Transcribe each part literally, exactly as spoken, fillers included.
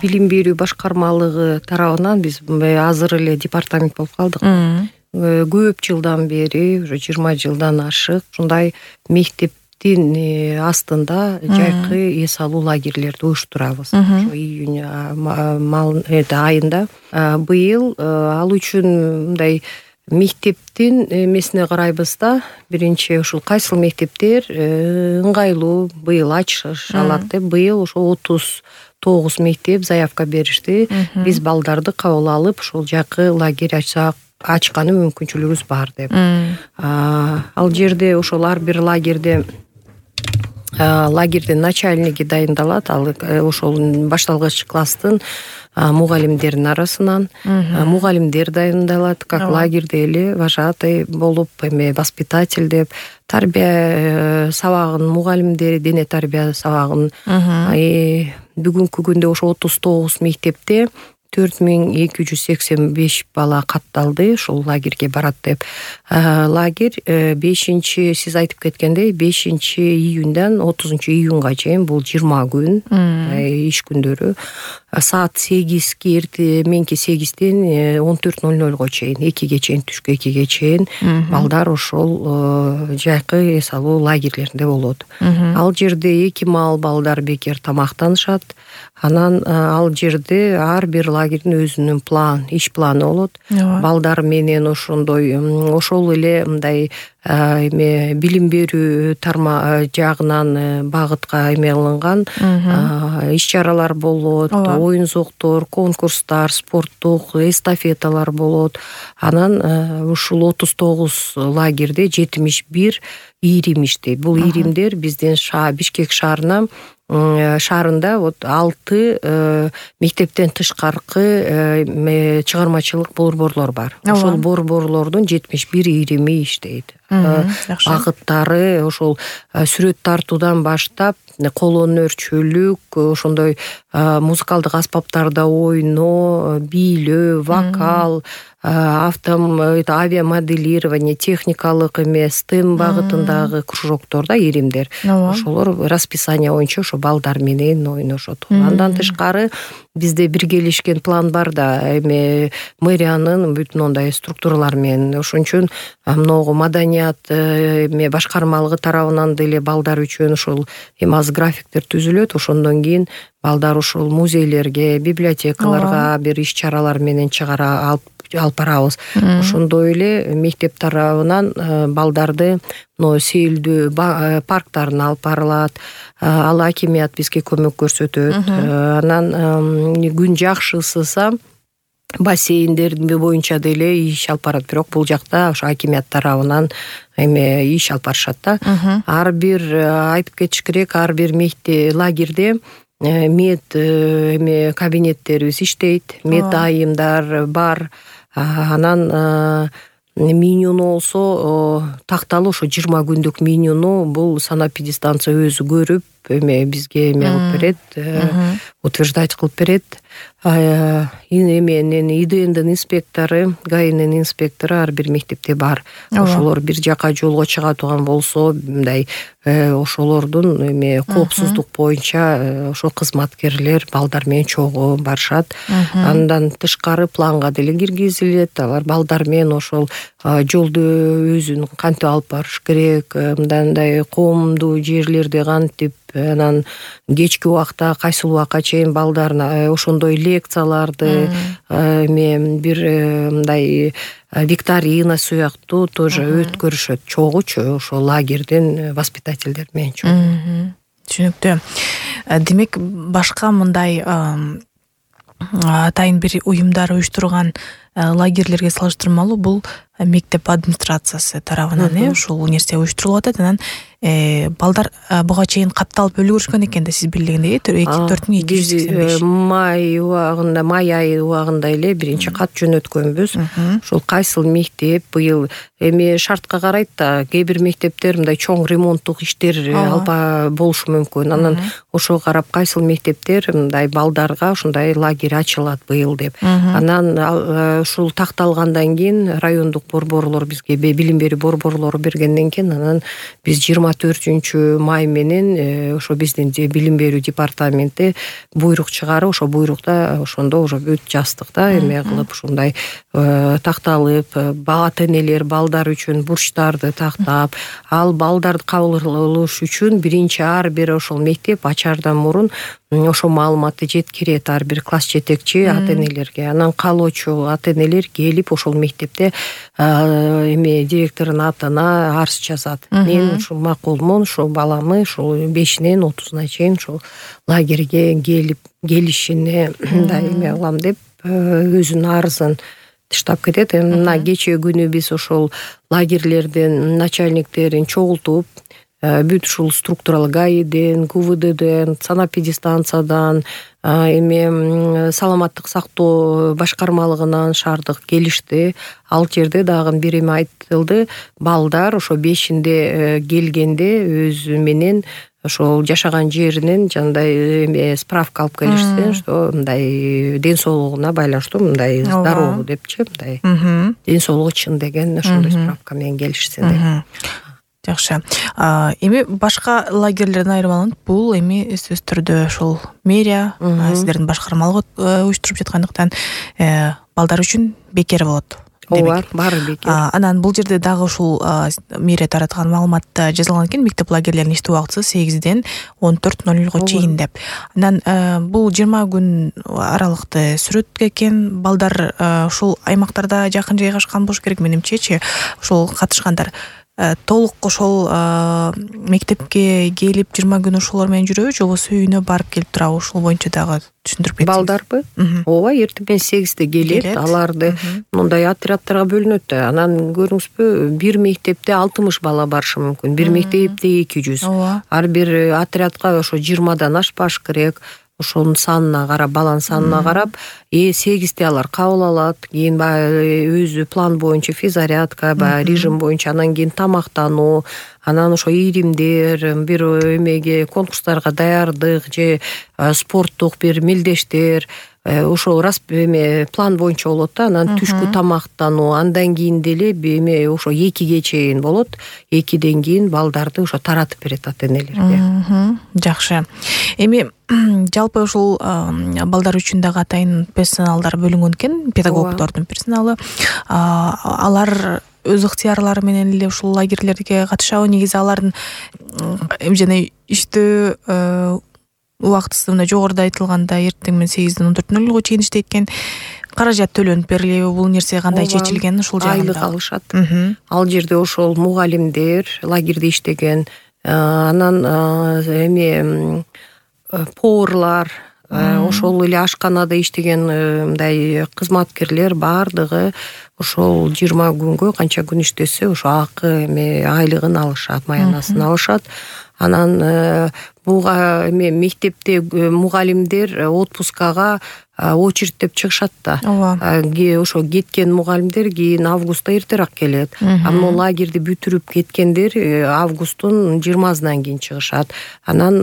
билим берүү башкармалыгы тарабынан биз азыр эле департамент болуп калдык. Көп жылдан бери, уже жыйырма жылдан ашык ушундай мектептин астында жайкы эс алуу лагерлерди уюштурабыз. Ошо июнь айында. Быйыл ал үчүн мындай мектептин эмесине карайбыз да. Биринчи ушул кайсыл мектептер ыңгайлуу быйыл ачыш алат деп, быйыл ошо отуз тогуз мектеп заявка беришти. Биз балдарды кабыл алып, ушул жакы лагерь ачсак, ачканы мүмкүнчүлүгүбүз бар деп. Ал жерде ошол ар бир лагерде лагердин начальниги дайындалат. Ал ошол башталгыч класстын мугалимдердин арасынан мугалимдер дайындалат, как лагерде эле вожатый болуп, эме воспитатель деп, тарбия сабагын мугалимдери, дене тарбия сабагын. Бүгүнкү күндө ошо отуз тогуз мектепте төрт миң эки жүз сексен беш бала катталды, ушул лагерге барат деп. Лагерь бешинчи, сиз айтып кеткендей, бешинчи июндан отузунчу июнга чейин, бул жыйырма күн иш күндөрү. Саат сегизге, эрте менки сегизден он төрт ноль нольго чейин, экиге чейин, түшкү экиге чейин балдар ошол жайкы эс алуу лагерлеринде болот. Ал жерде эки маал балдар бекер тамактанышат. Анан ал жерде ар бир лагердин өзүнүн план, иш планы болот. Балдар менен ошондой, ошол эле мындай эме билим берүү тарма жагынан багытка эме кылынган иш-чаралар болот, оюн зоктор, конкурстар, спорттук эстафеталар болот. Анан ушул отуз тогуз лагерде жетимиш бир ийрим иштейт. Бул ийримдер биздин Бишкек шаарына шаарында вот алты мектептен тышкаркы чыгармачылык борборлор бар. Ошол борборлордун жетимиш бир ийрими иштейт. Багыттары ошол сүрөт тартуудан баштап, кол өнөрчүлүк, ошондой музыкалдык аспаптарда ойноо, бийлөө, вокал, автом авиамоделирование, техникалык эмес, стем багытындагы кружокторда ийримдер. Ошолор расписание боюнча ошо балдар менен ойношот. Андан тышкары бизде биргелешкен план бар да, эме мэриянын бүтүн ондай структуралар менен. Ошон үчүн могу маданият эме башкармалыгы тарабынан деле балдар үчүн ошол эми аз графиктер түзүлөт. Ошондон кийин балдар ушул музейлерге, библиотекаларга бир иш-чаралар менен чыгара алып алып барабыз. Ошондой эле мектеп тарабынан балдарды но сейилдүү парктарына алып барылат. Ал акимият бизге көмөк көрсөтөт. Анан күн жакшы ысыса бассейндер боюнча деле иш алып барат, бирок бул жакта ошо акимият тарабынан эме иш алып барышат да. Ар бир айтып кетиш керек, ар бир мектеп лагерде мед эме кабинеттерибиз иштейт, мед айымдар бар. Анан менюну болсо такталуу ошо жыйырма күндүк менюну бул санэпидстанция өзү көрүп эме бизге эме кылып берет, утверждать кылып берет. Эменин ИДНдин инспектору, ГАИнин инспектору ар бир мектепте бар. Ошолор бир жака жолго чыга турган болсо, мындай ошолордун эме коопсуздук боюнча ошо кызматкерлер балдар менен чогуу барышат. Андан тышкары планга деле киргизилет. Алар балдар менен ошол жолду өзүн кантип алып барыш керек, мындай коомдуу жерлерде кантип, анан кечки убакта кайсыл убакка чейин балдарына ошондой лекцияларды эме бир мындай викторина сыяктуу тоже өткөрүшөт чогуучу ошол лагердин воспитательдер менен чогуу. Түшүнүктүү. Демек башка мындай атайын бир уюмдар уюштурган лагерлерге салыштырмалуу бул мектеп администрациясы тарабынан э ушул нерсе уюштурулуп атат. Анан балдар буга чейин катталып үлгүрүшкөн экен да, сиз билгендей төрт миң эки жүз сексен беш. Май убагында, май айы убагында эле биринчи кат жөнөткөнбүз. Ошол кайсыл мектеп быйыл эми шартка карайт да, кээ бир мектептер мындай чоң ремонттук иштер алба болушу мүмкүн. Анан ошого карап кайсыл мектептер мындай балдарга ушундай лагерь ачылат быйыл деп. Анан ушул такталгандан кийин райондук борборлор бизге билим берүү борборлору бергенден кийин анан биз жыйырма төртүнчү май менен ошо биздин билим берүү департаменти буйрук чыгарып, ошо буйрукта ошондо уже бүт жаздык да эме кылып ушундай такталып, ата энелер балдар үчүн бурчтарды тактап, ал балдарды кабыл алыш үчүн биринчи ар бир ошол мектеп ачаардан мурун ошо маалыматты жеткирет ар бир класс жетекчи ата энелерге. Анан каалоочу ата энелер келип ошол мектепте эме директордун атына арыз жазат. Мен ушул макулмун, ушул баламы ушул бешинен отузуна чейин ушул лагерге келип келишине мындай эме кылам деп өзүнүн арызын таштап кетет. Мына кечээ күнү биз ошол лагерлердин начальниктерин чогултуп, бүт ушул структуралык гаиден, ку вэ дэден, санэпидстанциядан, эме саламаттык сактоо башкармалыгынан шаардык келишти. Ал жерде дагы бир эме айтылды. Балдар ошо бешинде келгенде өзү менен ошол жашаган жеринен жандай эме справка алып келишсе, что мындай ден соолугуна байланыштуу мындай здоровый депчи, мындай ден соолугу чын деген ошондой справка менен келишсе деп. Жакшы. Эми башка лагерлерден айырмаланып, бул эми сөзсүз түрдө ошол мэрия сиздердин башкармалык уюштуруп жаткандыктан балдар үчүн бекер болот. Ооба, баары бекер. Анан бул жерде дагы ушул мэрия тараткан маалыматта жазылган экен, мектеп лагерлеринин иштөө убакыты сегизден он төрт ноль нолго чейин деп. Анан бул жыйырма күн аралыкты сүрөт экен. Балдар ушул аймактарда жакын жайгашкан болуш керек менимчечи. Ушул катышкандар толук ошол мектепке келип жыйырма күн ошолор менен жүрөбү, же болбосо үйүнө барып келип турабы? Ушул боюнча дагы түшүндүрүп кетсеңиз. Балдарбы? Ооба, эртең менен сегизде келет. Аларды мындай отрядтарга бөлүнөт. Анан көрүңүзбү, бир мектепте алтымыш бала барышы мүмкүн. Бир мектепте эки жүз. Ар бир отрядка ошо жыйырмадан ашпаш керек. Ошонун санына карап, баланын санына карап, э сегизде алар кабыл алат. Кийин өзү план боюнча физзарядка, режим боюнча, анан кийин тамактануу, анан ошо ийримдер, бир эмеге конкурстарга даярдык же спорттук бир мелдештер, ошол эме план боюнча болот да. Анан түшкү тамактануу, андан кийин деле эме ошо экиге чейин болот. экиден кийин балдарды ошо таратып берет ата энелерге. Жакшы. Эми жалпы ушул балдар үчүн дагы атайын персоналдар бөлүнгөн экен, педагогдордун персоналы. Алар өз ыктыярлары менен эле ушул лагерлерге катышабы? Негизи алардын жана иштөө убактысы мына жогоруда айтылганда эртең менен сегизден он төрт ноль нолго чейин иштейт экен. Каражат төлөнүп берилеби? Бул нерсе кандай чечилген ушул жагында? Айлык алышат. Ал жерде ошол мугалимдер, лагерде иштеген, анан эме поварлар, ошол эле ашканада иштеген мындай кызматкерлер баардыгы ошол жыйырма күнгө канча күн иштесе, ошо акы эме айлыгын алышат, маянасын алышат. Анан буга эме мектепте мугалимдер отпускага очередьтеп чыгышат да. Ошо кеткен мугалимдер кийин августта эртерээк келет. Аны лагерди бүтүрүп кеткендер августтун жыйырмасынан кийин чыгышат. Анан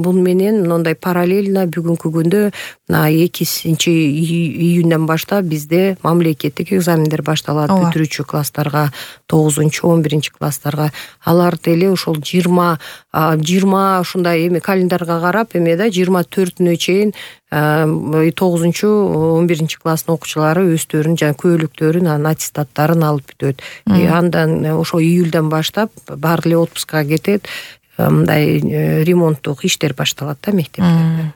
бул менен мындай параллельно бүгүнкү күндө экинчи июндан баштап бизде мамлекеттик экзамендер башталат бүтүрүүчү класстарга, тогузунчу он биринчи класстарга. Алар деле ошол жыйырма жыйырма ушундай эме календарга карап эме да жыйырма төртүнө чейин тогузунчу он биринчи класстын окуучулары өздөрүнүн жана көөлүктөрүн, анан аттестаттарын алып бүтөт. Андан ошо июлдан баштап баары эле отпускага кетет. Мындай ремонттук иштер башталат да мектептерде.